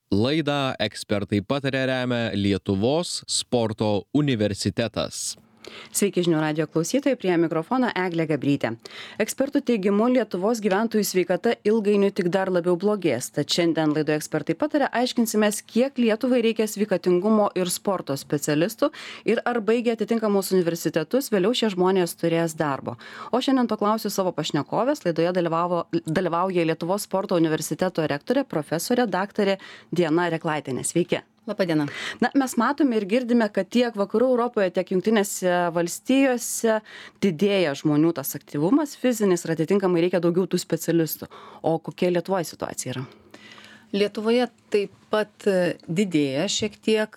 Laidą ekspertai pataria remia Lietuvos sporto universitetas. Sveiki žinių radijo klausytojai, prie mikrofono Eglė Gabrytė. Ekspertų teigimu, Lietuvos gyventojų sveikata ilgainiui tik dar labiau blogės. Tad šiandien laidoje ekspertai pataria aiškinsimės, kiek Lietuvai reikia sveikatingumo ir sporto specialistų ir ar baigę atitinkamus universitetus vėliau šie žmonės turės darbo. O šiandien to klausiu savo pašnekovės. Laidoje dalyvauja Lietuvos sporto universiteto rektorė, profesorė daktarė Diana Reklaitienė. Sveiki. Labadiena. Mes matome ir girdime, kad tiek vakarų Europoje, tiek Jungtinėse valstijose didėja žmonių tas aktyvumas fizinis ir atitinkamai reikia daugiau tų specialistų. O kokia Lietuvoje situacija yra? Lietuvoje taip pat didėja šiek tiek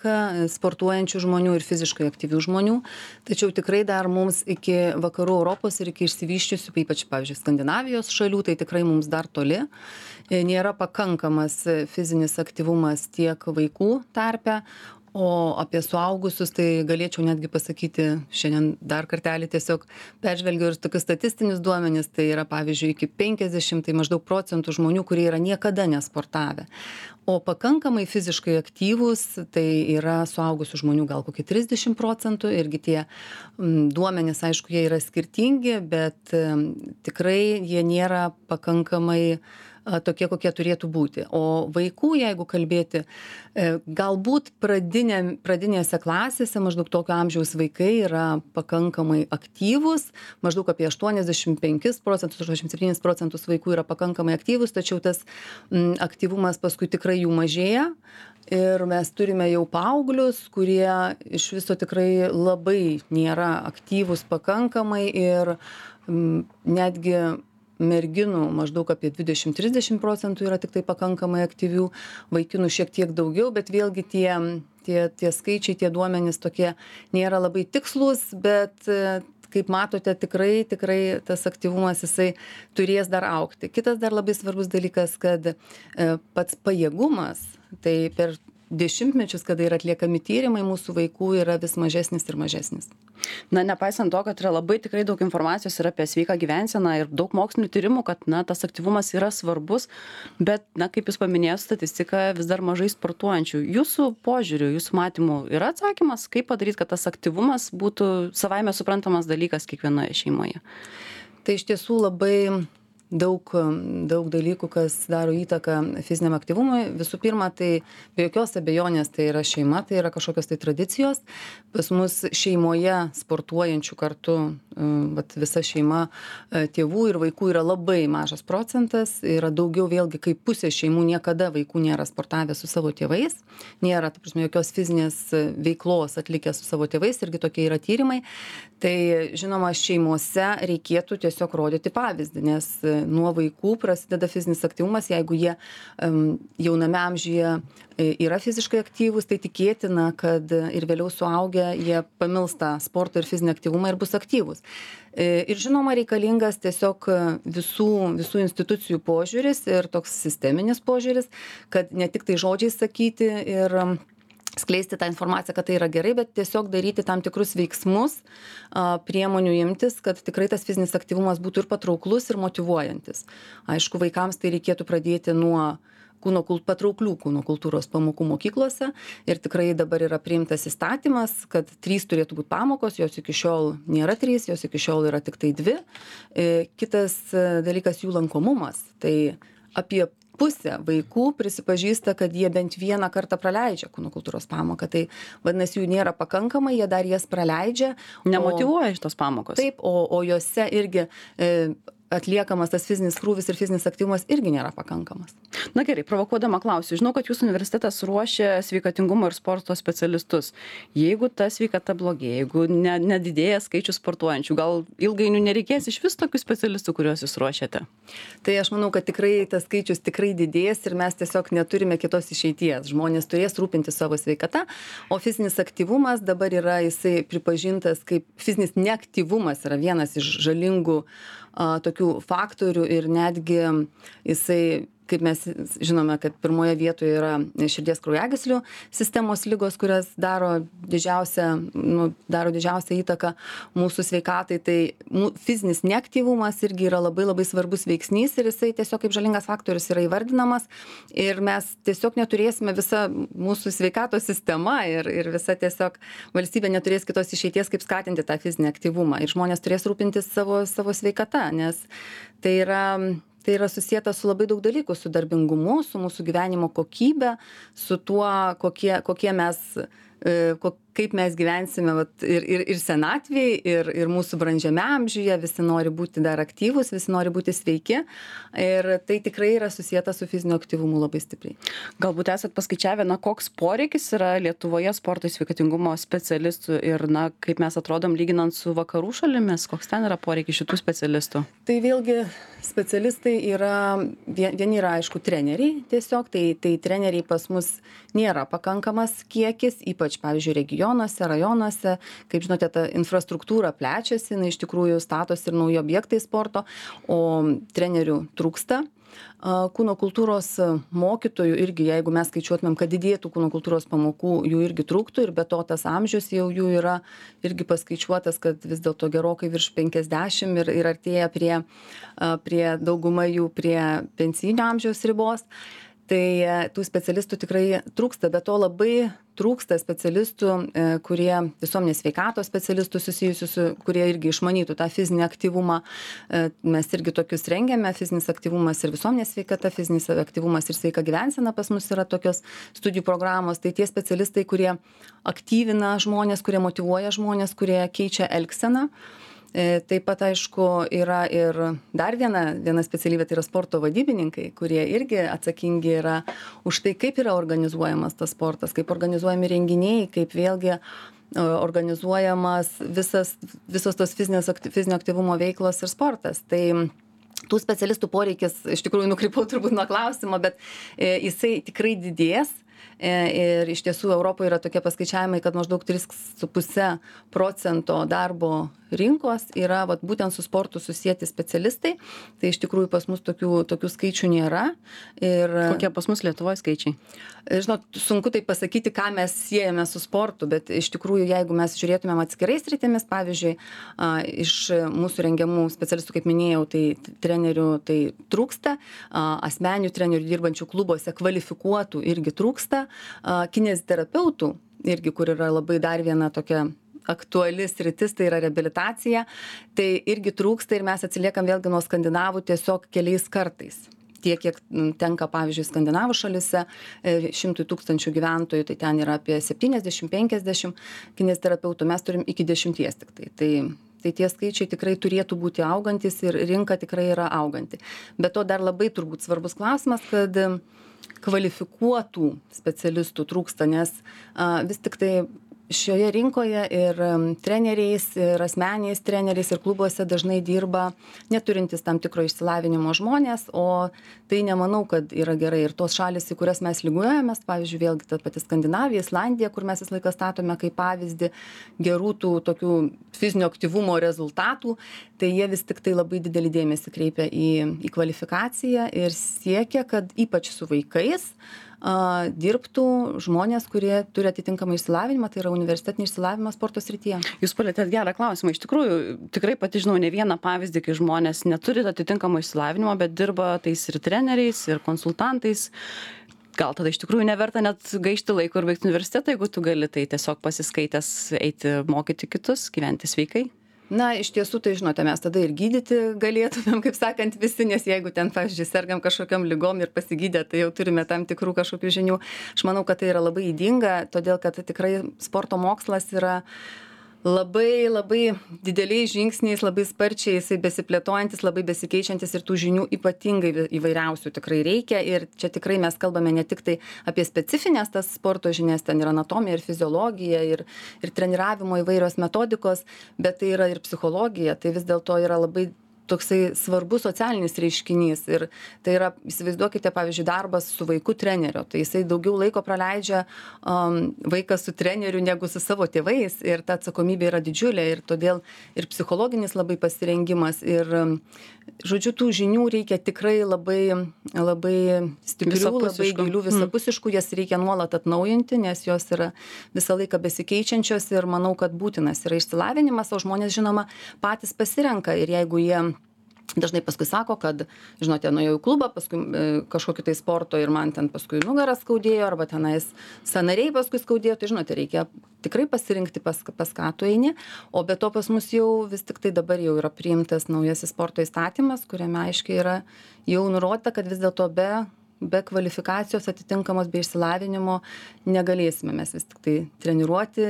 sportuojančių žmonių ir fiziškai aktyvių žmonių, tačiau tikrai dar mums iki vakarų Europos ir iki išsivyščiusių, ypač, pavyzdžiui, Skandinavijos šalių, tai tikrai mums dar toli. Nėra pakankamas fizinis aktyvumas tiek vaikų tarpe, o apie suaugusius tai galėčiau netgi pasakyti, šiandien dar kartelį tiesiog peržvelgiau ir tokius statistinius duomenis, tai yra pavyzdžiui iki 50, tai maždaug procentų žmonių, kurie yra niekada nesportavę. O pakankamai fiziškai aktyvūs, tai yra suaugusių žmonių gal kokie 30%, irgi tie duomenys, aišku, jie yra skirtingi, bet tikrai jie nėra pakankamai tokie, kokie turėtų būti. O vaikų, jeigu kalbėti, galbūt pradinėse klasėse maždaug tokio amžiaus vaikai yra pakankamai aktyvūs, maždaug apie 85%, 87% vaikų yra pakankamai aktyvūs, tačiau tas aktyvumas paskui tikrai jų mažėja. Ir mes turime jau paauglius, kurie iš viso tikrai labai nėra aktyvūs pakankamai ir netgi merginų maždaug apie 20-30% yra tik tai pakankamai aktyvių, vaikinų šiek tiek daugiau, bet vėlgi tie skaičiai, tie duomenys tokie nėra labai tikslus, bet kaip matote, tikrai tas aktyvumas jisai turės dar augti. Kitas dar labai svarbus dalykas, kad pats pajėgumas, tai per dešimtmečius, kada yra atliekami tyrimai, mūsų vaikų yra vis mažesnis ir mažesnis. Nepaisant to, kad yra labai tikrai daug informacijos ir apie sveiką gyvenseną ir daug mokslinių tyrimų, kad tas aktyvumas yra svarbus, bet, kaip jūs paminėjote, statistika vis dar mažai sportuojančių. Jūsų požiūriu, jūsų matymu yra atsakymas, kaip padaryti, kad tas aktyvumas būtų savaime suprantamas dalykas kiekvienoje šeimoje? Tai iš tiesų labai daug dalykų, kas daro įtaką fiziniam aktyvumui. Visų pirma, tai be jokios abejonės tai yra šeima, tai yra kažkokios tai tradicijos. Pas mus šeimoje sportuojančių kartu, visa šeima tėvų ir vaikų yra labai mažas procentas. Yra daugiau vėlgi kaip pusė šeimų niekada vaikų nėra sportavę su savo tėvais. Nėra, jokios fizinės veiklos atlikę su savo tėvais, irgi tokie yra tyrimai. Tai žinoma, šeimose reikėtų tiesiog rodyti pavyzdį, nes nuo vaikų prasideda fizinis aktyvumas, jeigu jie jauname amžiuje yra fiziškai aktyvūs, tai tikėtina, kad ir vėliau suaugę jie pamils tą sporto ir fizinį aktyvumą ir bus aktyvūs. Ir žinoma, reikalingas tiesiog visų institucijų požiūris ir toks sisteminis požiūris, kad ne tik tai žodžiai sakyti ir skleisti tą informaciją, kad tai yra gerai, bet tiesiog daryti tam tikrus veiksmus, priemonių imtis, kad tikrai tas fizinis aktyvumas būtų ir patrauklus, ir motyvuojantis. Aišku, vaikams tai reikėtų pradėti nuo patrauklių kūno kultūros pamokų mokyklose ir tikrai dabar yra priimtas įstatymas, kad 3 turėtų būti pamokos, jos iki šiol nėra 3, jos iki šiol yra tik tai 2. Kitas dalykas jų lankomumas. Tai apie pusė vaikų prisipažįsta, kad jie bent vieną kartą praleidžia kūno kultūros pamoką. Tai vadinasi, jų nėra pakankamai, jie dar jas praleidžia. Nemotyvuoja šitos pamokos. Taip, o jose irgi atliekamas tas fizinis krūvis ir fizinis aktyvumas irgi nėra pakankamas. Na gerai, provokuodama klausiu, žinau, kad jūsų universitetas ruošia sveikatingumo ir sporto specialistus. Jeigu ta sveikata blogėja, jeigu nedidėja skaičius sportuojančių, gal ilgainiui nereikės iš vis tokių specialistų, kuriuos jūs ruošiate? Tai aš manau, kad tikrai tas skaičius tikrai didės ir mes tiesiog neturime kitos išeities. Žmonės turės rūpinti savo sveikata, o fizinis aktyvumas dabar yra jisai pripažintas kaip fizinis neaktyvumas yra vienas iš žalingų tokių faktorių ir netgi jisai kaip mes žinome, kad pirmoje vietoje yra širdies kraujagyslių sistemos ligos, kurias daro didžiausią įtaką mūsų sveikatai. Tai fizinis neaktyvumas irgi yra labai labai svarbus veiksnys ir jisai tiesiog kaip žalingas faktorius yra įvardinamas ir mes tiesiog neturėsime, visa mūsų sveikatos sistema ir visa tiesiog valstybė neturės kitos išeities, kaip skatinti tą fizinį aktyvumą ir žmonės turės rūpintis savo sveikata, nes tai yra susieta su labai daug dalykų, su darbingumu, su mūsų gyvenimo kokybe, su tuo, kokie mes, kaip mes gyvensime ir senatvėj, ir mūsų brandžiame amžiuje, visi nori būti dar aktyvūs, visi nori būti sveiki ir tai tikrai yra susieta su fiziniu aktyvumu labai stipriai. Galbūt esat paskaičiavę, koks poreikis yra Lietuvoje sporto sveikatingumo specialistų ir, kaip mes atrodom lyginant su vakarų šalimis, koks ten yra poreikis šitų specialistų? Tai vėlgi specialistai vieni yra, aišku, treneriai tiesiog, tai treneriai pas mus nėra pakankamas kiekis, ypač, pavyzdžiui, regionuose, rajonuose, kaip žinote, ta infrastruktūra plečiasi, iš tikrųjų statosi ir nauji objektai sporto, o trenerių trūksta. Kūno kultūros mokytojų irgi, jeigu mes skaičiuotumėm, kad didėtų kūno kultūros pamokų, jų irgi trūktų ir be to tas amžius jau jų yra irgi paskaičiuotas, kad vis dėlto gerokai virš 50 ir artėja prie dauguma jų prie pensijinio amžiaus ribos. Tai tų specialistų tikrai trūksta, bet to labai trūksta specialistų, kurie visuomenės sveikatos specialistų susijusių, kurie irgi išmanytų tą fizinį aktyvumą. Mes irgi tokius rengiame, fizinis aktyvumas ir visuomenės sveikata, fizinis aktyvumas ir sveika gyvensena pas mus yra tokios studijų programos. Tai tie specialistai, kurie aktyvina žmonės, kurie motyvuoja žmonės, kurie keičia elgseną. Taip pat, aišku, yra ir dar viena specialybė, tai yra sporto vadybininkai, kurie irgi atsakingi yra už tai, kaip yra organizuojamas tas sportas, kaip organizuojami renginiai, kaip vėlgi organizuojamas visos tos fizinio aktyvumo veiklos ir sportas. Tai tų specialistų poreikis, iš tikrųjų nukrypau turbūt nuo klausimo, bet jisai tikrai didės. Ir iš tiesų Europoje yra tokie paskaičiavimai, kad maždaug 3,5% darbo rinkos yra būtent su sportu susijęti specialistai. Tai iš tikrųjų pas mus tokių skaičių nėra. Ir kokie pas mus Lietuvoje skaičiai? Žinot, sunku tai pasakyti, ką mes siejame su sportu, bet iš tikrųjų, jeigu mes žiūrėtumėm atskirais sritimis, pavyzdžiui, iš mūsų rengiamų specialistų, kaip minėjau, tai trenerių tai trūksta, asmeninių trenerių dirbančių klubuose kvalifikuotų irgi trūksta, kineziterapeutų irgi, kur yra labai dar viena tokia aktuali sritis, tai yra reabilitacija, tai irgi trūksta ir mes atsiliekam vėlgi nuo skandinavų tiesiog keliais kartais. Tiek, kiek tenka, pavyzdžiui, skandinavų šalise, 100 000 gyventojų, tai ten yra apie 70-50 kineziterapeutų, mes turim iki 10 tik tai. Tai tie skaičiai tikrai turėtų būti augantis ir rinka tikrai yra auganti. Bet to dar labai turbūt svarbus klausimas, kad kvalifikuotų specialistų trūksta, nes vis tik tai šioje rinkoje ir treneriais, ir asmeniais treneriais, ir klubuose dažnai dirba neturintys tam tikro išsilavinimo žmonės, o tai nemanau, kad yra gerai. Ir tos šalis, į kurias mes lygiuojamės, pavyzdžiui, vėlgi ta pati Skandinavija, Islandija, kur mes visą laiką statome kaip pavyzdį gerų tų tokių fizinio aktyvumo rezultatų, tai jie vis tik tai labai didelį dėmesį kreipia į kvalifikaciją ir siekia, kad ypač su vaikais dirbtų žmonės, kurie turi atitinkamą išsilavinimą, tai yra universitetinį išsilavinimą sporto srityje. Jūs palietėt gerą klausimą. Iš tikrųjų, tikrai pati žinau ne vieną pavyzdį, kai žmonės neturi atitinkamo išsilavinimo, bet dirba tais ir treneriais, ir konsultantais. Gal tada iš tikrųjų neverta net gaišti laiko ir baigti universitetą, jeigu tu gali, tai tiesiog pasiskaitęs eiti mokyti kitus, gyventi sveikai. Na, iš tiesų, tai žinote, mes tada ir gydyti galėtumėm, kaip sakant, visi, nes jeigu ten, pavyzdžiui, sergam kažkokiam ligom ir pasigydę, tai jau turime tam tikrų kažkokių žinių. Aš manau, kad tai yra labai ydinga, todėl kad tikrai sporto mokslas yra labai, labai dideliais žingsniais, labai sparčiai jisai besiplėtojantis, labai besikeičiantis ir tų žinių ypatingai įvairiausių tikrai reikia. Ir čia tikrai mes kalbame ne tik tai apie specifinės tas sporto žinias, ten yra anatomija ir fiziologija ir treniravimo įvairios metodikos, bet tai yra ir psichologija. Tai vis dėlto yra labai toksai svarbus socialinis reiškinys. Ir tai yra, įsivaizduokite, pavyzdžiui, darbas su vaiku trenerio. Tai jisai daugiau laiko praleidžia vaikas su treneriu negu su savo tėvais. Ir ta atsakomybė yra didžiulė. Ir todėl ir psichologinis labai pasirengimas. Ir, žodžiu, tų žinių reikia tikrai labai stiprių, labai gilių, visapusiškų. Jas reikia nuolat atnaujinti, nes jos yra visą laiką besikeičiančios. Ir manau, kad būtinas yra išsilavinimas, o žmonės, žinoma, patys pasirenka. Ir jeigu jie dažnai paskui sako, kad, žinote, nuėjau į klubą, paskui kažkokį tai sporto ir man ten paskui nugarą skaudėjo, arba tenais sąnariai paskui skaudėjo, tai žinote, reikia tikrai pasirinkti, pas ką tu eini. O be to pas mus jau vis tik tai dabar jau yra priimtas naujasis sporto įstatymas, kuriame aiškiai yra jau nurodyta, kad vis dėlto be kvalifikacijos atitinkamos, be išsilavinimo negalėsime mes vis tik tai treniruoti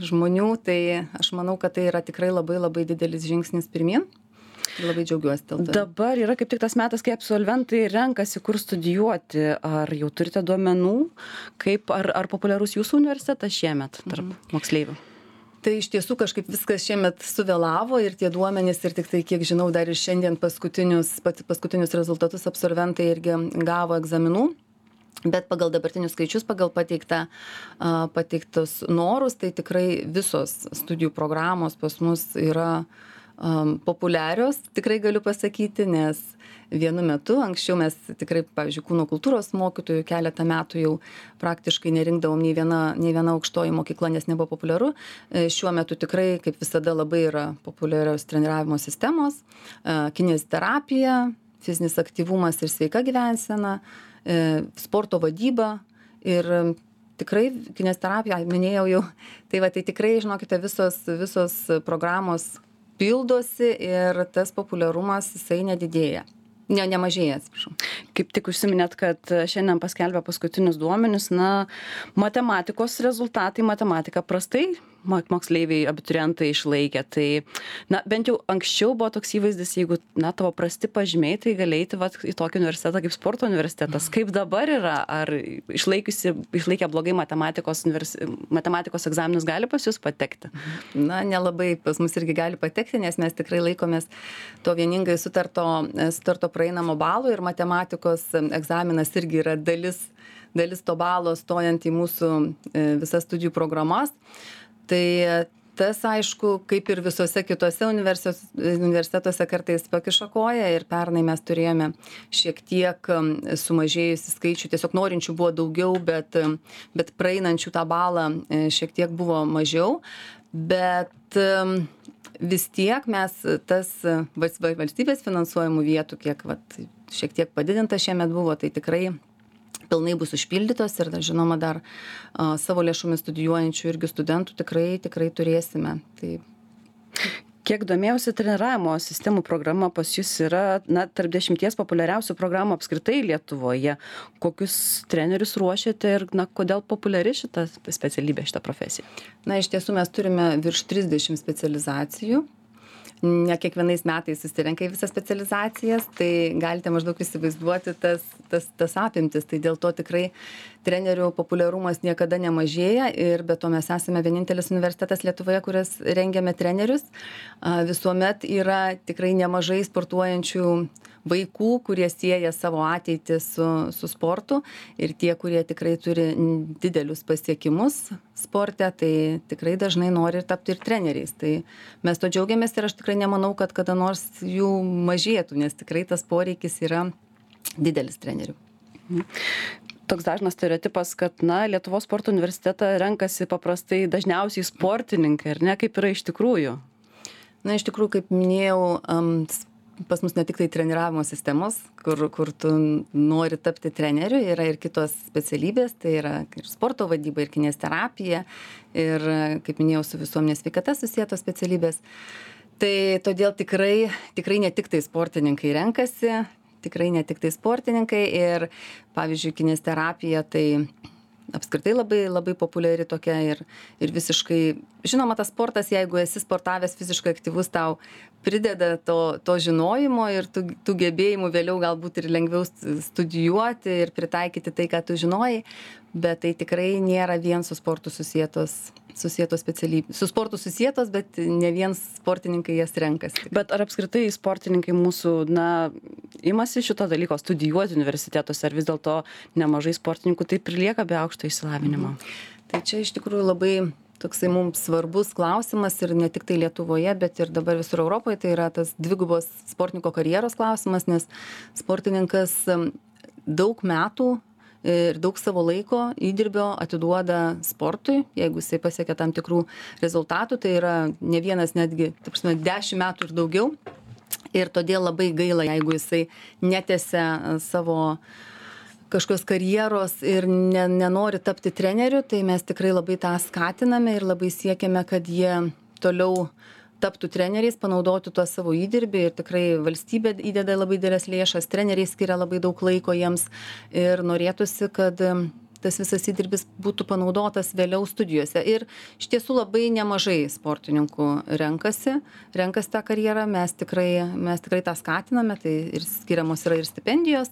žmonių. Tai aš manau, kad tai yra tikrai labai didelis žingsnis pirmyn. Labai džiaugiuosi dėl to. Dabar yra kaip tik tas metas, kai absolventai renkasi, kur studijuoti. Ar jau turite duomenų, ar populiarus jūsų universitetas šiemet tarp moksleivių? Tai iš tiesų kažkaip viskas šiemet suvėlavo ir tie duomenys, ir tik tai, kiek žinau, dar ir šiandien paskutinius rezultatus absolventai irgi gavo egzaminų. Bet pagal dabartinius skaičius, pagal pateiktus norus, tai tikrai visos studijų programos pas mus yra populiarios, tikrai galiu pasakyti, nes vienu metu, anksčiau mes tikrai, pavyzdžiui, kūno kultūros mokytojų keletą metų jau praktiškai nerinkdavom nei viena aukštoji mokykla, nes nebuvo populiaru. Šiuo metu tikrai, kaip visada, labai yra populiarios treniravimo sistemos, kineziterapija, fizinis aktyvumas ir sveika gyvensena, sporto vadyba ir tikrai kineziterapija, minėjau jau, tai tikrai, žinokite, visos programos pildosi ir tas populiarumas jisai nedidėja. Nemažėja, atsiprašau. Kaip tik užsiminėt, kad šiandien paskelbė paskutinius duomenis, matematikos rezultatai, matematika prastai moksleiviai, abiturientai išlaikė. Tai, bent jau anksčiau buvo toks įvaizdis, jeigu, tavo prasti pažymiai, tai galėti į tokį universitetą kaip sporto universitetas. Kaip dabar yra? Ar išlaikę blogai matematikos egzaminus gali pas jūs patekti? Nelabai pas mus irgi gali patekti, nes mes tikrai laikomės to vieningai sutarto praeinamo balo ir matematikos egzaminas irgi yra dalis to balo stojant į mūsų visas studijų programas. Tai tas, aišku, kaip ir visose kitose universitetuose kartais pakiša koją ir pernai mes turėjome šiek tiek sumažėjusi skaičių, tiesiog norinčių buvo daugiau, bet praeinančių tą balą šiek tiek buvo mažiau, bet vis tiek mes tas valstybės finansuojamų vietų, kiek šiek tiek padidinta šiemet buvo, tai tikrai pilnai bus užpildytos ir, žinoma, dar savo lėšomis studijuojančių irgi studentų tikrai turėsime. Tai... Kiek domėjausi, treniravimo sistemų programa pas jūs yra tarp 10 populiariausių programų apskritai Lietuvoje. Kokius trenerius ruošiate ir kodėl populiari šita specialybė, šita profesija? Iš tiesų mes turime virš 30 specializacijų. Ne kiekvienais metais susirenka į visas specializacijas, tai galite maždaug įsivaizduoti tas apimtis. Tai dėl to tikrai trenerių populiarumas niekada nemažėja ir be to mes esame vienintelis universitetas Lietuvoje, kuris rengiame trenerius. Visuomet yra tikrai nemažai sportuojančių vaikų, kurie sieja savo ateitį su sportu ir tie, kurie tikrai turi didelius pasiekimus sporte, tai tikrai dažnai nori tapti ir treneriais. Tai mes to džiaugiamės ir aš tikrai nemanau, kad kada nors jų mažėtų, nes tikrai tas poreikis yra didelis trenerių. Toks dažnas stereotipas, kad Lietuvos sporto universitetą renkasi paprastai dažniausiai sportininkai, ar ne, kaip yra iš tikrųjų? Iš tikrųjų, kaip minėjau, pas mus ne tik tai treniravimo sistemos, kur tu nori tapti treneriu, yra ir kitos specialybės, tai yra ir sporto vadyba, ir kineziterapija, ir, kaip minėjau, su visuomenės sveikata susietos specialybės. Tai todėl tikrai ne tik tai sportininkai renkasi, ir, pavyzdžiui, kineziterapija, tai apskritai labai populiari tokia ir visiškai, žinoma, tas sportas, jeigu esi sportavęs fiziškai aktyvus, tau prideda to žinojimo ir tų gebėjimų vėliau galbūt ir lengviau studijuoti ir pritaikyti tai, ką tu žinojai, bet tai tikrai nėra vien su sportu susietos specialybės. Su sportu susietos, bet ne vien sportininkai jas renkasi. Bet ar apskritai sportininkai mūsų, imasi šito dalyko studijuoti universitetuose, ar vis dėlto nemažai sportininkų taip ir lieka be aukšto išsilavinimo? Tai čia iš tikrųjų labai toksai mums svarbus klausimas ir ne tik tai Lietuvoje, bet ir dabar visur Europoje, tai yra tas dvigubos sportininko karjeros klausimas, nes sportininkas daug metų ir daug savo laiko įdirbio atiduoda sportui, jeigu jisai pasiekia tam tikrų rezultatų, tai yra ne vienas netgi, 10 metų ir daugiau. Ir todėl labai gaila, jeigu jisai netęsia savo kažkokios karjeros ir nenori tapti treneriu, tai mes tikrai labai tą skatiname ir labai siekiame, kad jie toliau taptų treneriais, panaudotų tuo savo įdirbį ir tikrai valstybė įdeda labai didelės lėšas, treneriai skiria labai daug laiko jiems ir norėtųsi, kad tas visas įdirbis būtų panaudotas vėliau studijose. Ir iš tiesų labai nemažai sportininkų renkasi tą karjerą, mes tikrai tą skatiname, tai ir skiriamos yra ir stipendijos,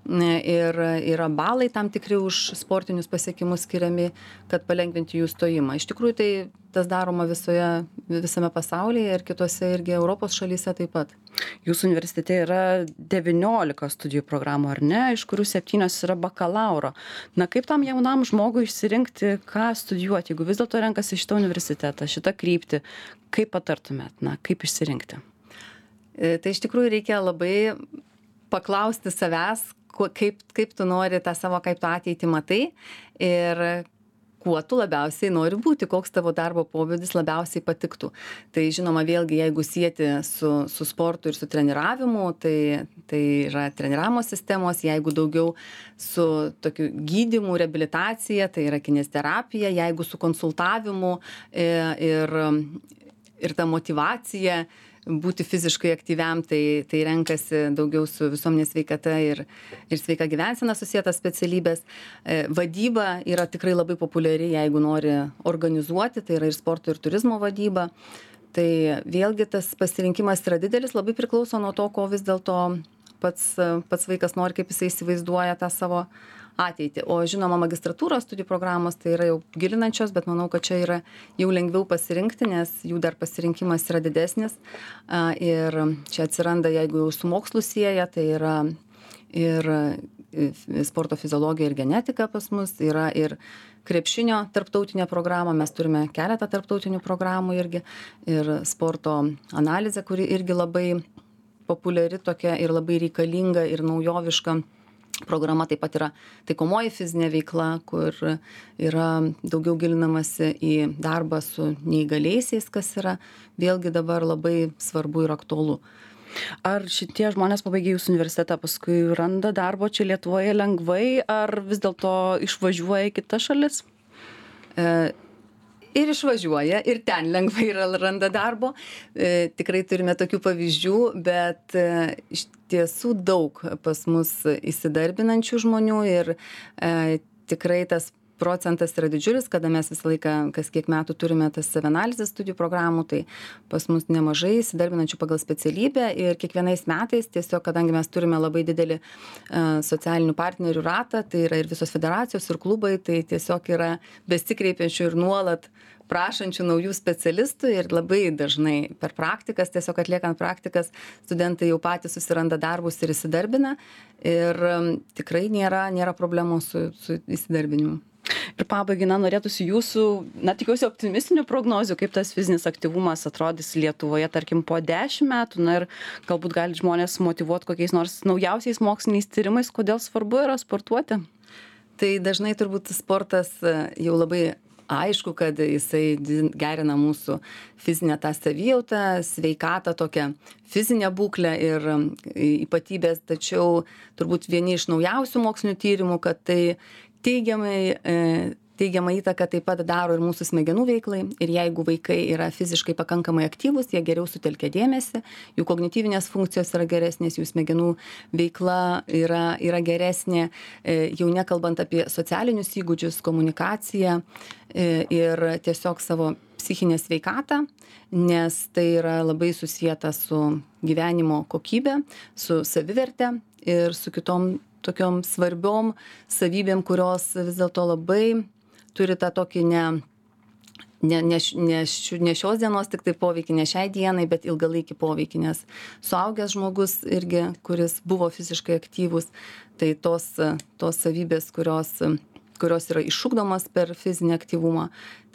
ir yra balai tam tikri už sportinius pasiekimus skiriami, kad palengvinti jų stojimą. Iš tikrųjų, tai tas daroma visame pasaulyje ir kitose irgi Europos šalyse taip pat. Jūsų universitete yra 19 studijų programų, ar ne, iš kurių 7 yra bakalauro. Kaip tam jaunam žmogui išsirinkti, ką studijuoti, jeigu vis dėlto renkasi šitą universitetą, šitą kryptį, kaip patartumėt, kaip išsirinkti? Tai iš tikrųjų reikia labai paklausti savęs, kaip tu nori tą savo, kaip tu ateitį matai ir kuo tu labiausiai nori būti, koks tavo darbo pobūdis labiausiai patiktų. Tai žinoma, vėlgi, jeigu sieti su sportu ir su treniravimu, tai yra treniravimo sistemos, jeigu daugiau su tokiu gydymu, reabilitacija, tai yra kineziterapija, jeigu su konsultavimu ir ta motyvacija būti fiziškai aktyviam, tai renkasi daugiau su visuomenės sveikata ir sveika gyvensena susietas specialybės. Vadyba yra tikrai labai populiari, jeigu nori organizuoti, tai yra ir sporto ir turizmo vadyba. Tai vėlgi tas pasirinkimas yra didelis, labai priklauso nuo to, ko vis dėlto pats vaikas nori, kaip jisai įsivaizduoja tą savo ateitį. O žinoma, magistratūros studijų programos tai yra jau gilinančios, bet manau, kad čia yra jau lengviau pasirinkti, nes jų dar pasirinkimas yra didesnis. Ir čia atsiranda, jeigu jau su mokslu sieja, tai yra ir sporto fiziologija ir genetika pas mus, yra ir krepšinio tarptautinė programa, mes turime keletą tarptautinių programų irgi, ir sporto analizė, kuri irgi labai populiari tokia ir labai reikalinga ir naujoviška. Programa taip pat yra taikomoji fizinė veikla, kur yra daugiau gilinamasi į darbą su neįgaliaisiais, kas yra vėlgi dabar labai svarbu ir aktualu. Ar šitie žmonės pabaigę jūsų universitetą paskui randa darbo čia Lietuvoje lengvai, ar vis dėlto išvažiuoja į kitas šalis? Ir išvažiuoja, ir ten lengvai randa darbo. Tikrai turime tokių pavyzdžių, bet iš tiesų daug pas mus įsidarbinančių žmonių ir tikrai tas procentas yra didžiulis, kada mes visą laiką, kas kiek metų turime tas savianalizės studijų programų, tai pas mus nemažai įsidarbinančių pagal specialybę ir kiekvienais metais tiesiog, kadangi mes turime labai didelį socialinių partnerių ratą, tai yra ir visos federacijos ir klubai, tai tiesiog yra besikreipiančių ir nuolat prašančių naujų specialistų ir labai dažnai per praktikas, tiesiog atliekant praktikas, studentai jau patys susiranda darbus ir įsidarbina ir tikrai nėra problemų su įsidarbinimu. Ir pabaigai, norėtųsi jūsų, tikiuosi optimistinių prognozių, kaip tas fizinis aktyvumas atrodys Lietuvoje, tarkim, po 10 metų, ir galbūt gali žmonės motyvuoti kokiais nors naujausiais moksliniais tyrimais, kodėl svarbu yra sportuoti? Tai dažnai turbūt sportas jau labai aišku, kad jisai gerina mūsų fizinę tą savijautą, sveikatą, tokią fizinę būklę ir ypatybės, tačiau turbūt vieni iš naujausių mokslinių tyrimų, kad tai teigiamai Teigiamą įtaką taip pat daro ir mūsų smegenų veiklai. Ir jeigu vaikai yra fiziškai pakankamai aktyvūs, jie geriau sutelkia dėmesį, jų kognityvinės funkcijos yra geresnės, jų smegenų veikla yra geresnė, jau nekalbant apie socialinius įgūdžius, komunikaciją ir tiesiog savo psichinę sveikatą, nes tai yra labai susijęta su gyvenimo kokybė, su saviverte ir su kitom tokiom svarbiom savybėm, kurios vis dėlto labai turi tą tokį ne šios dienos tik tai poveikį, ne šiai dienai, bet ilgalaikį poveikį, nes suaugęs žmogus irgi, kuris buvo fiziškai aktyvus, tai tos savybės, kurios yra išugdomos per fizinį aktyvumą,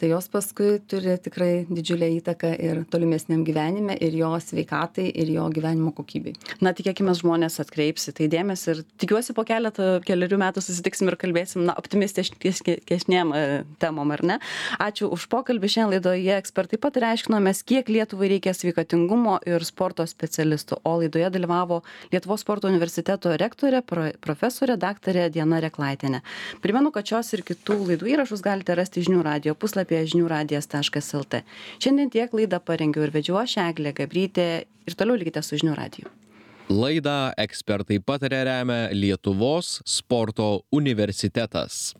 tai jos paskui turi tikrai didžiulę įtaką ir tolimesniam gyvenime, ir jo sveikatai, ir jo gyvenimo kokybei. Na, tikėkime, žmonės atkreips į tai dėmesį ir tikiuosi po keliarių metų susitiksim ir kalbėsim, optimistiškesnėm temom, ar ne? Ačiū už pokalbį. Šiandien laidoje ekspertai pataria, aiškinomės, kiek Lietuvai reikia sveikatingumo ir sporto specialistų. O laidoje dalyvavo Lietuvos sporto universiteto rektorė, profesorė daktarė Diana Reklaitienė. Primenu, kad šios ir kitų laidų įrašus galite rasti žinių radijo puslapyje žiniųradijas.lt. Šiandien tiek laidą parengiau ir vedžiau aš, Eglė Gabrytė, ir toliau likite su žinių radiju. Laidą ekspertai pataria remia Lietuvos sporto universitetas.